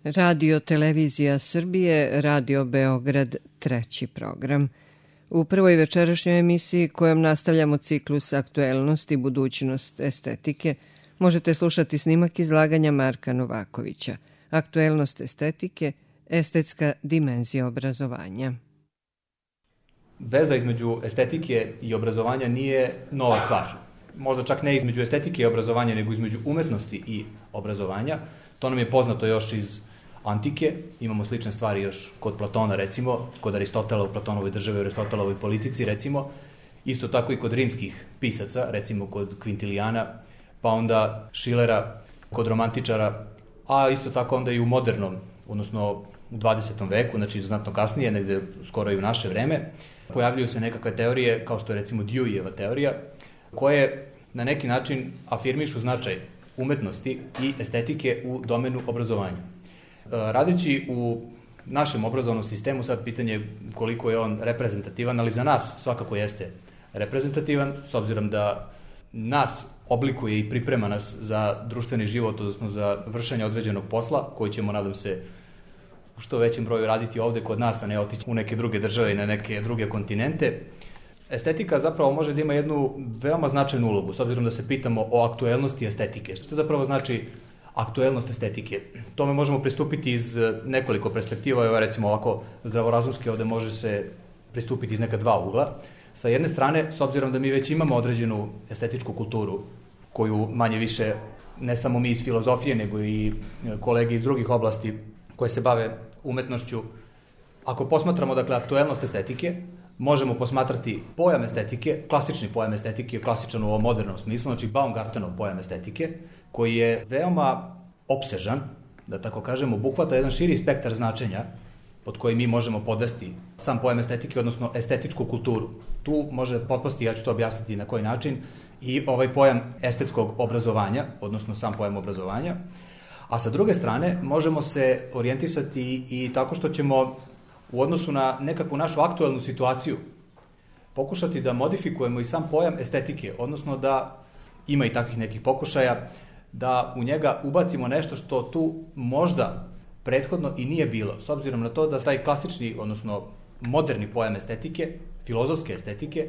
Radio Televizija Srbije, Radio Beograd, treći program. U prvoj večerašnjoj emisiji kojom nastavljamo ciklus Aktuelnost i budućnost estetike, možete slušati snimak izlaganja Marka Novakovića. Aktuelnost estetike, estetska dimenzija obrazovanja. Veza između estetike i obrazovanja nije nova stvar. Možda čak ne između estetike i obrazovanja, nego između umetnosti i obrazovanja. To nam je poznato još iz antike, imamo slične stvari još kod Platona, recimo, kod Aristotela u Platonovoj državi, u Aristotelovoj politici, recimo, isto tako i kod rimskih pisaca, recimo kod Kvintilijana, pa onda Šilera, kod romantičara, a isto tako onda i u modernom, odnosno u 20. veku, znači znatno kasnije, negde skoro i u naše vreme, pojavljuju se nekakve teorije, kao što je recimo Deweyjeva teorija, koje na neki način afirmišu značaj umetnosti i estetike u domenu obrazovanja. Radeći u našem obrazovnom sistemu, sad pitanje koliko je on reprezentativan, ali za nas svakako jeste reprezentativan, s obzirom da nas oblikuje i priprema nas za društveni život, odnosno za vršenje određenog posla, koji ćemo, nadam se, u što većem broju raditi ovde kod nas, a ne otići u neke druge države i na neke druge kontinente. Estetika zapravo može da ima jednu veoma značajnu ulogu, s obzirom da se pitamo o aktuelnosti estetike. Što zapravo znači aktuelnost estetike? Tome možemo pristupiti iz nekoliko perspektiva, evo recimo ovako zdravorazumski ovde može se pristupiti iz neka dva ugla. Sa jedne strane, s obzirom da mi već imamo određenu estetičku kulturu, koju manje više ne samo mi iz filozofije, nego i kolege iz drugih oblasti koje se bave umetnošću, ako posmatramo, dakle, aktuelnost estetike, možemo posmatrati pojam estetike, klasični pojam estetike, klasičan u ovom modernom smislu, znači Baumgartenov pojam estetike, koji je veoma opsežan, da tako kažemo, obuhvata jedan širi spektar značenja pod koji mi možemo podvesti sam pojam estetike, odnosno estetičku kulturu. Tu može potpasti, ja ću to objasniti na koji način, i ovaj pojam estetskog obrazovanja, odnosno sam pojam obrazovanja. A sa druge strane, možemo se orijentisati i tako što ćemo u odnosu na nekakvu našu aktuelnu situaciju pokušati da modifikujemo i sam pojam estetike, odnosno da ima i takvih nekih pokušaja, da u njega ubacimo nešto što tu možda prethodno i nije bilo, s obzirom na to da taj klasični, odnosno moderni pojam estetike, filozofske estetike,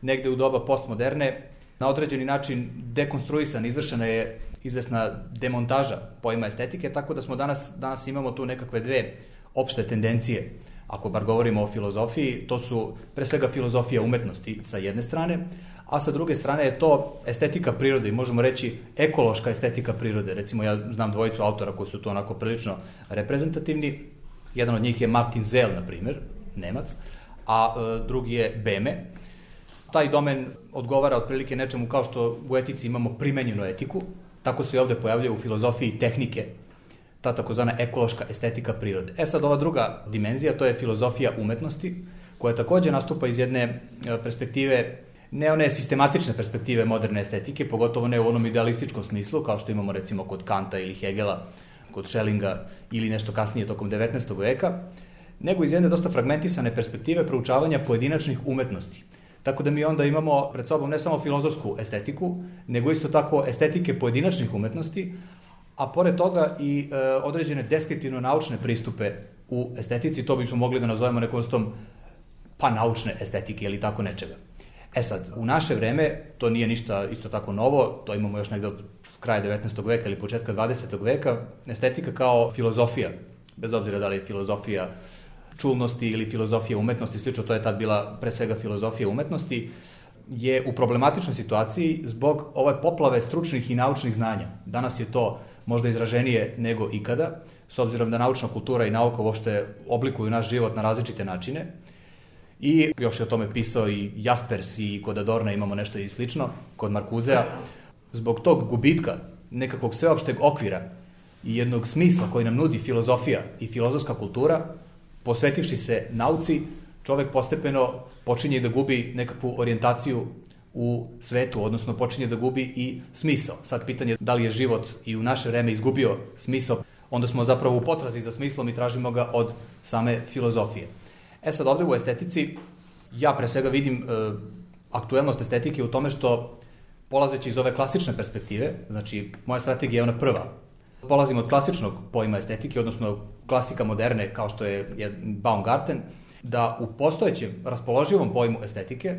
negde u doba postmoderne, na određeni način dekonstruisan, izvršena je izvesna demontaža pojma estetike, tako da smo danas imamo tu nekakve dve opšte tendencije. Ako bar govorimo o filozofiji, to su pre svega filozofija umetnosti sa jedne strane, a sa druge strane je to estetika prirode i možemo reći ekološka estetika prirode. Recimo ja znam dvojicu autora koji su tu onako prilično reprezentativni. Jedan od njih je Martin Zell, na primer, Nemac, a drugi je Beme. Taj domen odgovara otprilike nečemu kao što u etici imamo primenjenu etiku, tako se i ovde pojavljaju u filozofiji tehnike, ta takozvana ekološka estetika prirode. Sad ova druga dimenzija, to je filozofija umetnosti, koja takođe nastupa iz jedne perspektive, ne one sistematične perspektive moderne estetike, pogotovo ne u onom idealističkom smislu, kao što imamo recimo kod Kanta ili Hegela, kod Schellinga ili nešto kasnije tokom 19. veka, nego iz jedne dosta fragmentisane perspektive proučavanja pojedinačnih umetnosti. Tako da mi onda imamo pred sobom ne samo filozofsku estetiku, nego isto tako estetike pojedinačnih umetnosti, a pored toga i određene deskriptivno-naučne pristupe u estetici, to bismo mogli da nazovemo nekom vrstom naučne estetike ili tako nečega. Sad, u naše vreme to nije ništa isto tako novo, to imamo još negde od kraja 19. veka ili početka 20. veka, estetika kao filozofija, bez obzira da li je filozofija čulnosti ili filozofija umetnosti, slično, to je tad bila pre svega filozofija umetnosti, je u problematičnoj situaciji zbog ove poplave stručnih i naučnih znanja. Danas je to možda izraženije nego ikada, s obzirom da naučna kultura i nauka uopšte oblikuju naš život na različite načine. I još je o tome pisao i Jaspers i kod Adorna imamo nešto i slično, kod Marcusea. Zbog tog gubitka nekakvog sveopšteg okvira i jednog smisla koji nam nudi filozofija i filozofska kultura, posvetivši se nauci, čovek postepeno počinje da gubi nekakvu orijentaciju u svetu, odnosno počinje da gubi i smisao. Sad pitanje da li je život i u naše vreme izgubio smisao, onda smo zapravo u potrazi za smislom i tražimo ga od same filozofije. Sad ovde u estetici ja pre svega vidim aktuelnost estetike u tome što, polazeći iz ove klasične perspektive, znači moja strategija je ona prva, polazimo od klasičnog pojma estetike, odnosno klasika moderne kao što je Baumgarten, da u postojećem raspoloživom pojmu estetike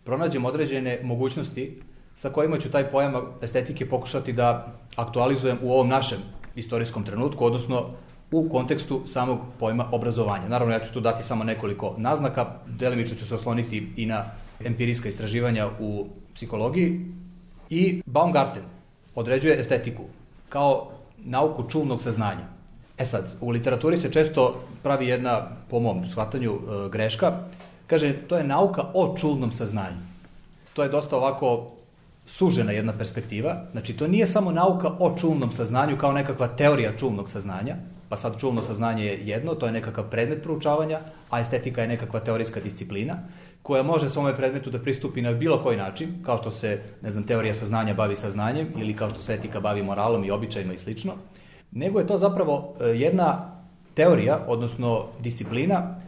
pronađemo određene mogućnosti sa kojima ću taj pojam estetike pokušati da aktualizujem u ovom našem istorijskom trenutku, odnosno u kontekstu samog pojma obrazovanja. Naravno, ja ću tu dati samo nekoliko naznaka, delimično ću se osloniti i na empirijska istraživanja u psihologiji. I Baumgarten određuje estetiku kao nauku čulnog saznanja. Sad, u literaturi se često pravi jedna, po mom shvatanju, greška. Kaže, to je nauka o čulnom saznanju. To je dosta ovako sužena jedna perspektiva. Znači, to nije samo nauka o čulnom saznanju kao nekakva teorija čulnog saznanja, pa sad čulno saznanje je jedno, to je nekakav predmet proučavanja, a estetika je nekakva teorijska disciplina, koja može svome predmetu da pristupi na bilo koji način, kao što se, teorija saznanja bavi saznanjem, ili kao što se etika bavi moralom i običajima i slično, nego je to zapravo jedna teorija, odnosno disciplina,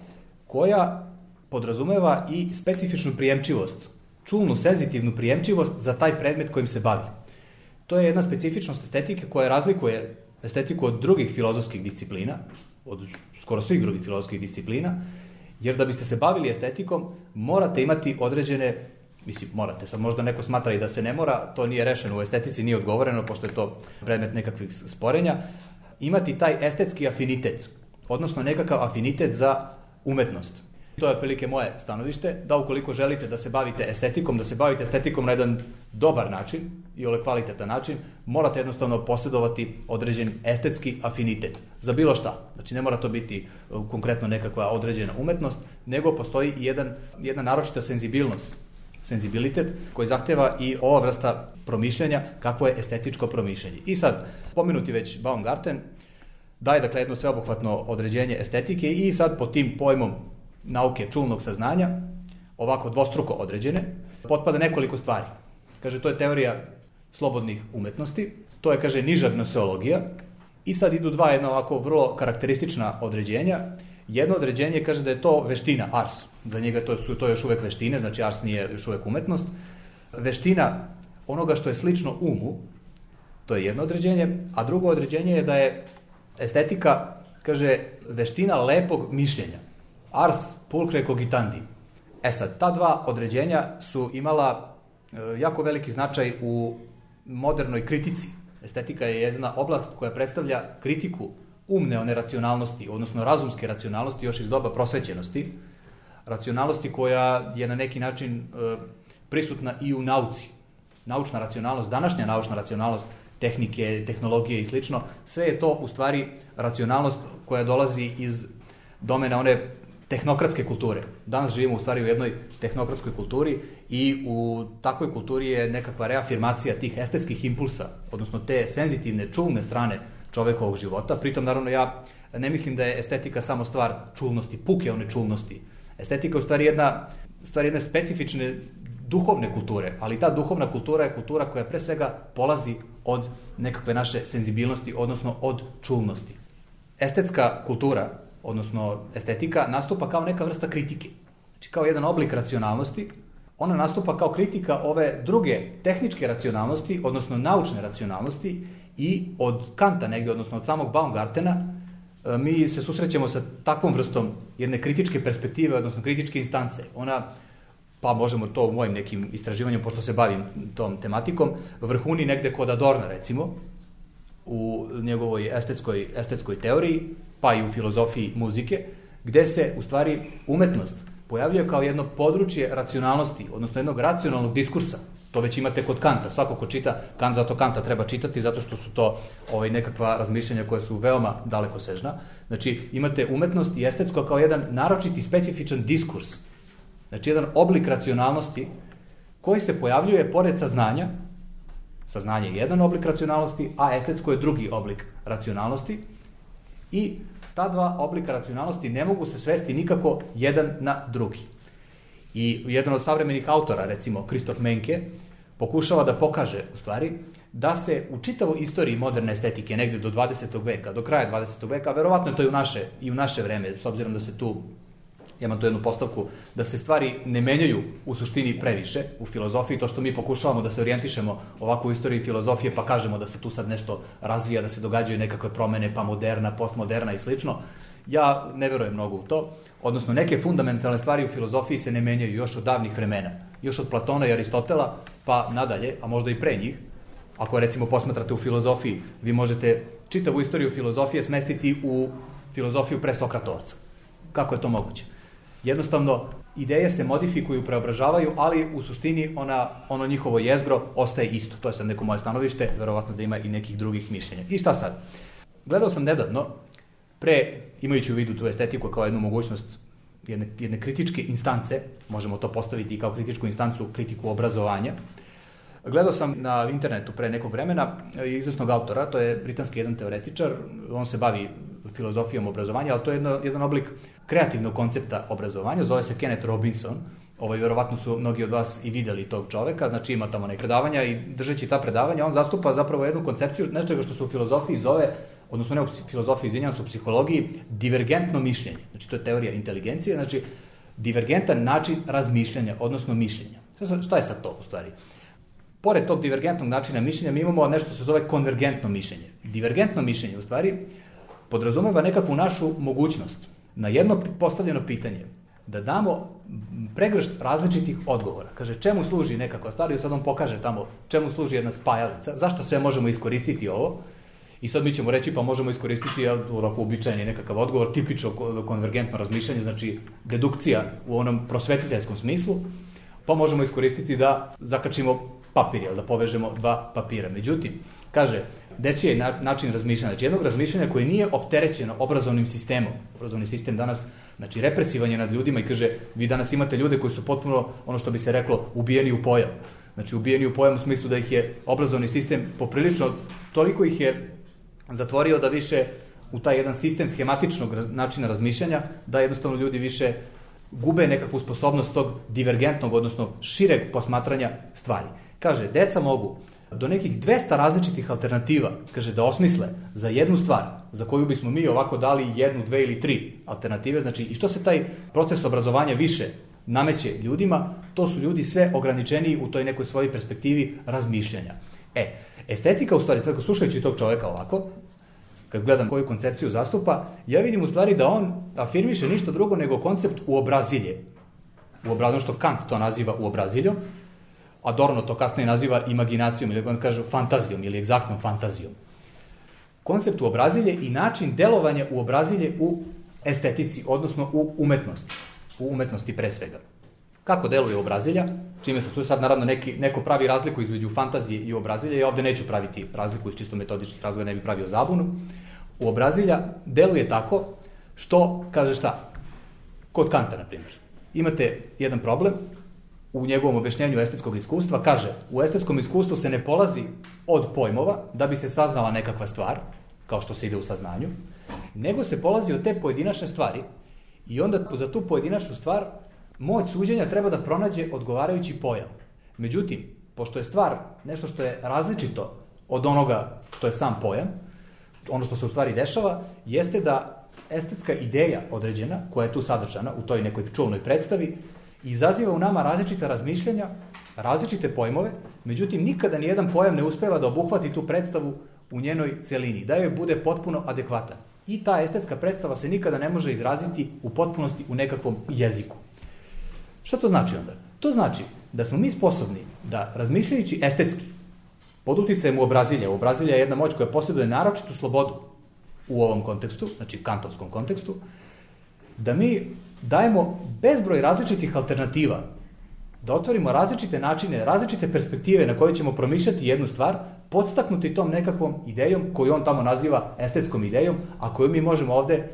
koja podrazumeva i specifičnu prijemčivost, čulnu, senzitivnu prijemčivost za taj predmet kojim se bavi. To je jedna specifičnost estetike koja razlikuje estetiku od drugih filozofskih disciplina, od skoro svih drugih filozofskih disciplina, jer da biste se bavili estetikom, morate imati određene, morate, sad možda neko smatra i da se ne mora, to nije rešeno u estetici, nije odgovoreno, pošto je to predmet nekakvih sporenja, imati taj estetski afinitet, odnosno nekakav afinitet za umetnost. To je otprilike moje stanovište, da ukoliko želite da se bavite estetikom na jedan dobar način i kvalitetan način, morate jednostavno posjedovati određen estetski afinitet za bilo šta. Znači, ne mora to biti konkretno nekakva određena umetnost, nego postoji i jedna naročita senzibilitet koji zahteva i ova vrsta promišljanja kakvo je estetičko promišljanje. I sad, pomenuti već Baumgarten daje dakle jedno sveobuhvatno određenje estetike i sad pod tim pojmom nauke čulnog saznanja, ovako dvostruko određene, potpada nekoliko stvari. Kaže, to je teorija slobodnih umetnosti, to je, kaže, niža gnoseologija i sad idu dva jedna ovako vrlo karakteristična određenja. Jedno određenje kaže da je to veština, ars. Za njega to još uvek veštine, znači ars nije još uvek umetnost. Veština onoga što je slično umu, to je jedno određenje, a drugo određenje je da je estetika, kaže, veština lepog mišljenja. Ars pulcre cogitandi. Sad, ta dva određenja su imala jako veliki značaj u modernoj kritici. Estetika je jedna oblast koja predstavlja kritiku umne one racionalnosti, odnosno razumske racionalnosti još iz doba prosvećenosti, racionalnosti koja je na neki način prisutna i u nauci. Naučna racionalnost, današnja naučna racionalnost tehnike, tehnologije i slično, sve je to u stvari racionalnost koja dolazi iz domena one tehnokratske kulture. Danas živimo u stvari u jednoj tehnokratskoj kulturi i u takvoj kulturi je nekakva reafirmacija tih estetskih impulsa, odnosno te senzitivne, čulne strane čovekovog života. Pritom, naravno, ja ne mislim da je estetika samo stvar čulnosti, puke one čulnosti. Estetika je u stvari jedna specifične duhovne kulture, ali ta duhovna kultura je kultura koja pre svega polazi od nekakve naše senzibilnosti, odnosno od čulnosti. Estetska kultura, odnosno estetika, nastupa kao neka vrsta kritike. Znači, kao jedan oblik racionalnosti, ona nastupa kao kritika ove druge tehničke racionalnosti, odnosno naučne racionalnosti, i od Kanta negde, odnosno od samog Baumgartena, mi se susrećemo sa takvom vrstom jedne kritičke perspektive, odnosno kritičke instance. Ona, pa možemo to u mojim nekim istraživanjem, pošto se bavim tom tematikom, vrhuni negde kod Adorna, recimo, u njegovoj estetskoj teoriji, pa i u filozofiji muzike, gde se, u stvari, umetnost pojavljuje kao jedno područje racionalnosti, odnosno jednog racionalnog diskursa. To već imate kod Kanta. Svako ko čita Kant, zato Kanta treba čitati, zato što su to nekakva razmišljanja koja su veoma dalekosežna. Znači, imate umetnost i estetsko kao jedan naročiti specifičan diskurs. Znači, jedan oblik racionalnosti koji se pojavljuje pored saznanja. Saznanje je jedan oblik racionalnosti, a estetsko je drugi oblik racionalnosti. I ta dva oblika racionalnosti ne mogu se svesti nikako jedan na drugi. I jedan od savremenih autora, recimo Christoph Menke, pokušava da pokaže, u stvari, da se u čitavoj istoriji moderne estetike, negde do 20. veka, do kraja 20. veka, verovatno je to i u naše vreme, s obzirom da se tu imam tu jednu postavku, da se stvari ne menjaju u suštini previše u filozofiji, to što mi pokušavamo da se orijentišemo ovako u istoriji filozofije, pa kažemo da se tu sad nešto razvija, da se događaju nekakve promene, pa moderna, postmoderna i slično. Ja ne verujem mnogo u to, odnosno neke fundamentalne stvari u filozofiji se ne menjaju još od davnih vremena, još od Platona i Aristotela, pa nadalje, a možda i pre njih. Ako recimo posmatrate u filozofiji, vi možete čitavu istoriju filozofije smestiti u filozofiju pre Sokratovaca. Kako je to moguće? Jednostavno, ideje se modifikuju, preobražavaju, ali u suštini ono njihovo jezgro ostaje isto. To je sad neko moje stanovište, verovatno da ima i nekih drugih mišljenja. I šta sad? Gledao sam nedavno, imajući u vidu tu estetiku kao jednu mogućnost jedne kritičke instance, možemo to postaviti i kao kritičku instancu, kritiku obrazovanja. Gledao sam na internetu pre nekog vremena izvesnog autora, to je britanski jedan teoretičar, on se bavi filozofijom obrazovanja, ali to je jedan oblik kreativnog koncepta obrazovanja, zove se Kenneth Robinson, verovatno su mnogi od vas i videli tog čoveka, znači ima tamo neke predavanja i držeći ta predavanja, on zastupa zapravo jednu koncepciju, nečega što se u filozofiji zove, odnosno ne u filozofiji, izvinjavam se, u psihologiji, divergentno mišljenje. Znači to je teorija inteligencije, znači divergentan način razmišljanja, odnosno mišljenja. Šta je sad to u stvari? Pored tog divergentnog načina mišljenja mi imamo nešto što se zove konvergentno mišljenje. Divergentno mišljenje u stvari podrazumeva nekakvu našu mogućnost na jedno postavljeno pitanje da damo pregršt različitih odgovora. Kaže, čemu služi nekakva stvar i sad on pokaže tamo čemu služi jedna spajalica, zašto sve možemo iskoristiti ovo i sad mi ćemo reći pa možemo iskoristiti onako uobičajeni nekakav odgovor, tipično konvergentno razmišljanje, znači dedukcija u onom prosvetiteljskom smislu, pa možemo iskoristiti da zakačimo papir, da povežemo dva papira. Međutim, kaže, dečiji je način razmišljanja, znači jednog razmišljanja koje nije opterećeno obrazovnim sistemom. Obrazovni sistem danas, znači represivan je nad ljudima i kaže, vi danas imate ljude koji su potpuno, ono što bi se reklo, ubijeni u pojam. Znači ubijeni u pojam u smislu da ih je obrazovni sistem poprilično, toliko ih je zatvorio da više u taj jedan sistem schematičnog načina razmišljanja, da jednostavno ljudi više gube nekakvu sposobnost tog divergentnog, odnosno šireg posmatranja stvari. Kaže, deca mogu do nekih 200 različitih alternativa, kaže, da osmisle za jednu stvar, za koju bismo mi ovako dali 1, 2 ili 3 alternative, znači i što se taj proces obrazovanja više nameće ljudima, to su ljudi sve ograničeniji u toj nekoj svojoj perspektivi razmišljanja. Estetika u stvari, slušajući tog čoveka ovako, kad gledam koju koncepciju zastupa, ja vidim u stvari da on afirmiše ništa drugo nego koncept uobrazilje. Uobrazilje, što Kant to naziva uobraziljom, Adorno to kasnije naziva imaginacijom, ili on kaže fantazijom ili egzaktnom fantazijom. Koncept uobrazilje i način delovanja uobrazilje u estetici, odnosno u umetnosti. U umetnosti pre svega. Kako deluje uobrazilja? Čime se tu sad naravno neko pravi razliku između fantazije i uobrazilja, ja ovde neću praviti razliku iz čisto metodičkih razloga, ne bi pravio zabunu. Uobrazilja deluje tako što, kaže šta? Kod Kanta, na primjer. Imate jedan problem, u njegovom objašnjenju estetskog iskustva, kaže, u estetskom iskustvu se ne polazi od pojmova da bi se saznala nekakva stvar, kao što se ide u saznanju, nego se polazi od te pojedinačne stvari i onda za tu pojedinačnu stvar moć suđenja treba da pronađe odgovarajući pojam. Međutim, pošto je stvar nešto što je različito od onoga što je sam pojam, ono što se u stvari dešava, jeste da estetska ideja određena, koja je tu sadržana u toj nekoj čulnoj predstavi, izaziva u nama različita razmišljanja, različite pojmove, međutim nikada nijedan pojam ne uspeva da obuhvati tu predstavu u njenoj celini, da joj bude potpuno adekvatan. I ta estetska predstava se nikada ne može izraziti u potpunosti u nekakvom jeziku. Šta to znači onda? To znači da smo mi sposobni da, razmišljajući estetski, pod uticajem uobrazilja, uobrazilja je jedna moć koja posjeduje naročitu slobodu u ovom kontekstu, znači kantovskom kontekstu, da mi dajemo bezbroj različitih alternativa, da otvorimo različite načine, različite perspektive na koje ćemo promišljati jednu stvar, podstaknuti tom nekakvom idejom koju on tamo naziva estetskom idejom, a koju mi možemo ovde,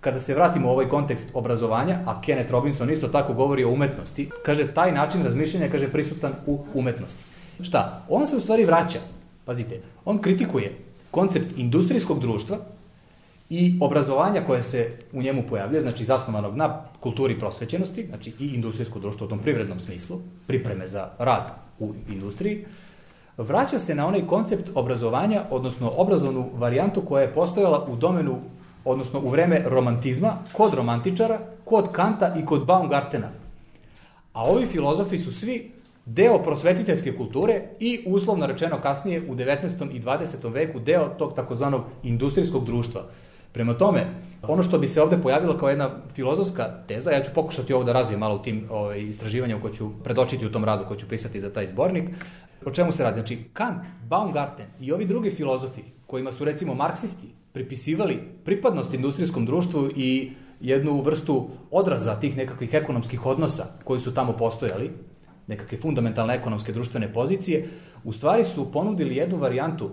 kada se vratimo u ovaj kontekst obrazovanja, a Kenneth Robinson isto tako govori o umetnosti, kaže, taj način razmišljanja, kaže, prisutan u umetnosti. Šta? On se u stvari vraća, pazite, on kritikuje koncept industrijskog društva i obrazovanja koje se u njemu pojavljuje, znači zasnovanog na kulturi prosvećenosti, znači i industrijsko društvo u tom privrednom smislu, pripreme za rad u industriji, vraća se na onaj koncept obrazovanja, odnosno obrazovnu varijantu koja je postojala u domenu odnosno u vreme romantizma, kod romantičara, kod Kanta i kod Baumgartena. A ovi filozofi su svi deo prosvetiteljske kulture i uslovno rečeno kasnije u 19. i 20. veku deo tog takozvanog industrijskog društva. Prema tome, ono što bi se ovde pojavilo kao jedna filozofska teza, ja ću pokušati ovo da razvijem malo u tim istraživanjima koje ću predočiti u tom radu, koji ću pisati za taj zbornik. O čemu se radi? Znači, Kant, Baumgarten i ovi drugi filozofi, kojima su recimo marksisti pripisivali pripadnost industrijskom društvu i jednu vrstu odraza tih nekakvih ekonomskih odnosa koji su tamo postojali, nekakve fundamentalne ekonomske društvene pozicije, u stvari su ponudili jednu varijantu,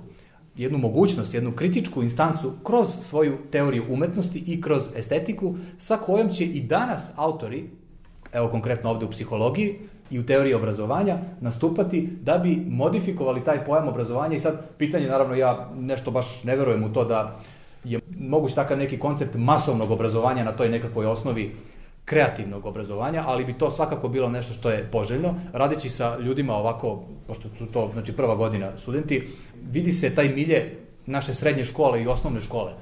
jednu mogućnost, jednu kritičku instancu kroz svoju teoriju umetnosti i kroz estetiku, sa kojom će i danas autori, evo konkretno ovde u psihologiji i u teoriji obrazovanja, nastupati da bi modifikovali taj pojam obrazovanja. I sad pitanje, naravno, ja nešto baš ne verujem u to da je moguć takav neki koncept masovnog obrazovanja na toj nekakvoj osnovi kreativnog obrazovanja, ali bi to svakako bilo nešto što je poželjno. Radeći sa ljudima ovako, pošto su to znači prva godina studenti, vidi se taj milje naše srednje škole i osnovne škole.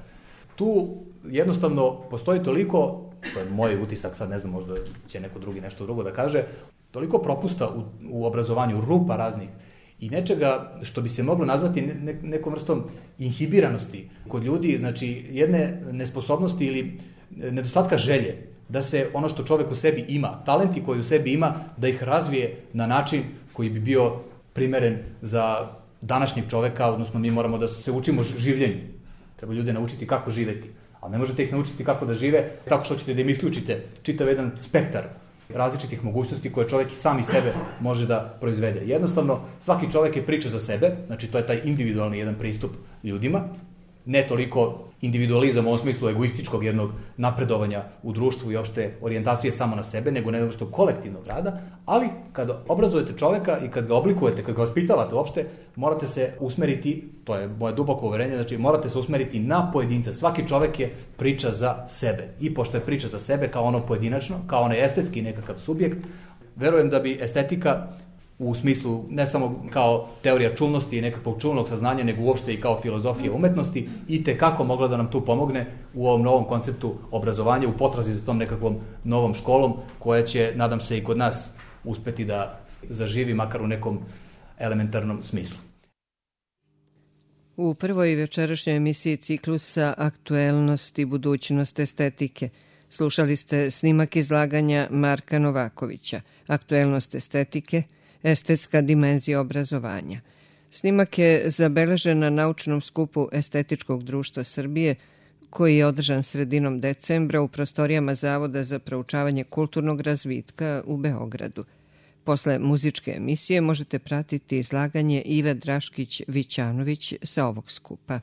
Tu jednostavno postoji toliko, to je moj utisak, sad ne znam, možda će neko drugi nešto drugo da kaže, toliko propusta u obrazovanju, rupa raznih i nečega što bi se moglo nazvati nekom vrstom inhibiranosti kod ljudi, znači jedne nesposobnosti ili nedostatka želje da se ono što čovek u sebi ima, talenti koji u sebi ima, da ih razvije na način koji bi bio primeren za današnjeg čoveka, odnosno mi moramo da se učimo življenju. Treba ljude naučiti kako živeti, ali ne možete ih naučiti kako da žive tako što ćete da im isključite čitav jedan spektar različitih mogućnosti koje čovek i sami sebe može da proizvede. Jednostavno, svaki čovek je priča za sebe, znači to je taj individualni jedan pristup ljudima, ne toliko individualizam u ovom smislu egoističkog jednog napredovanja u društvu i opšte orijentacije samo na sebe, nego nešto kolektivnog rada, ali kada obrazujete čoveka i kad ga oblikujete, kad ga vaspitavate uopšte, morate se usmeriti, to je moje duboko uverenje, znači morate se usmeriti na pojedinca. Svaki čovek je priča za sebe. I pošto je priča za sebe kao ono pojedinačno, kao onaj estetski nekakav subjekt, verujem da bi estetika u smislu ne samo kao teorija čulnosti i nekakvog čulnog saznanja, nego uopšte i kao filozofija umetnosti i tekako mogla da nam tu pomogne u ovom novom konceptu obrazovanja, u potrazi za tom nekakvom novom školom koja će, nadam se, i kod nas uspeti da zaživi makar u nekom elementarnom smislu. U prvoj večerašnjoj emisiji ciklusa Aktuelnost i budućnost estetike slušali ste snimak izlaganja Marka Novakovića, Aktuelnost estetike, estetska dimenzija obrazovanja. Snimak je zabeležen na naučnom skupu Estetičkog društva Srbije, koji je održan sredinom decembra u prostorijama Zavoda za proučavanje kulturnog razvitka u Beogradu. Posle muzičke emisije možete pratiti izlaganje Ive Draškić-Vićanović sa ovog skupa.